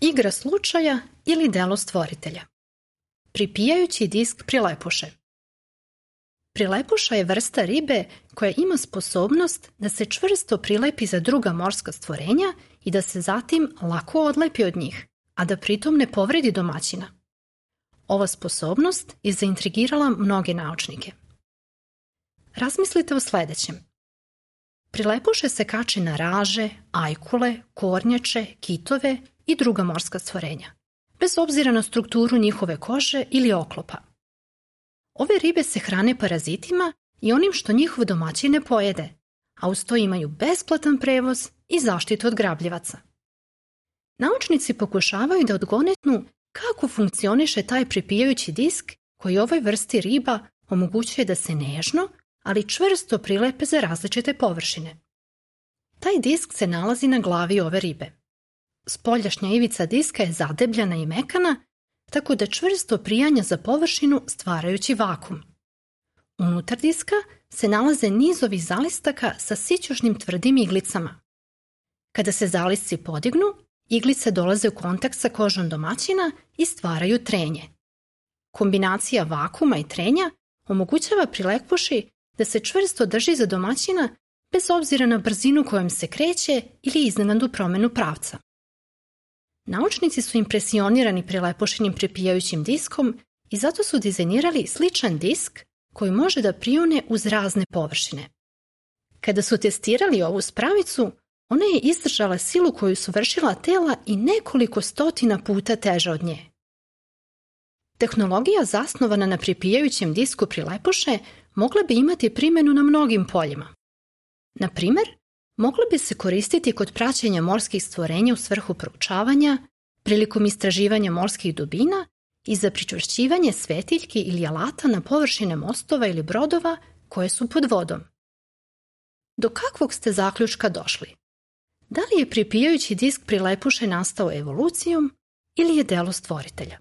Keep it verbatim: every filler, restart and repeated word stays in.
igra slučaja ili delo stvoritelja. Pripijajući disk prilepuše. Prilepuša je vrsta ribe koja ima sposobnost da se čvrsto prilepi za druga morska stvorenja i da se zatim lako odlepi od njih, a da pritom ne povredi domaćina. Ova sposobnost je zaintrigirala mnoge naučnike. Razmislite o sledećem. Prilepuše se kače na raže, ajkule, kornjače, kitove i druga morska stvorenja, bez obzira na strukturu njihove kože ili oklopa. Ove ribe se hrane parazitima i onim što njihov domaćin ne pojede, a uz to imaju besplatan prevoz i zaštitu od grabljivaca. Naučnici pokušavaju da odgonetnu kako funkcioniše taj pripijajući disk koji ovoj vrsti riba omogućuje da se nežno, ali čvrsto prilepe za različite površine. Taj disk se nalazi na glavi ove ribe. Spoljašnja ivica diska je zadebljana i mekana, tako da čvrsto prijanja za površinu stvarajući vakum. Unutar diska se nalaze nizovi zalistaka sa sićušnim tvrdim iglicama. Kada se zalisci podignu, iglice dolaze u kontakt sa kožom domaćina i stvaraju trenje. Kombinacija vakuma i trenja omogućava prilepuši da se čvrsto drži za domaćina bez obzira na brzinu kojom se kreće ili iznenadnu promenu pravca. Naučnici su impresionirani prilepušinim pripijajućim diskom i zato su dizajnirali sličan disk koji može da prione uz razne površine. Kada su testirali ovu spravicu, ona je izdržala silu koju su vršila tela i nekoliko stotina puta teža od nje. Tehnologija zasnovana na pripijajućem disku prilepuše mogla bi imati primjenu na mnogim poljima. Na primer, mogla bi se koristiti kod praćenja morskih stvorenja u svrhu proučavanja, prilikom istraživanja morskih dubina i za pričvršćivanje svetiljki ili alata na površine mostova ili brodova koje su pod vodom. Do kakvog ste zaključka došli? Da li je pripijajući disk prilepuše nastao evolucijom ili je delo stvoritelja?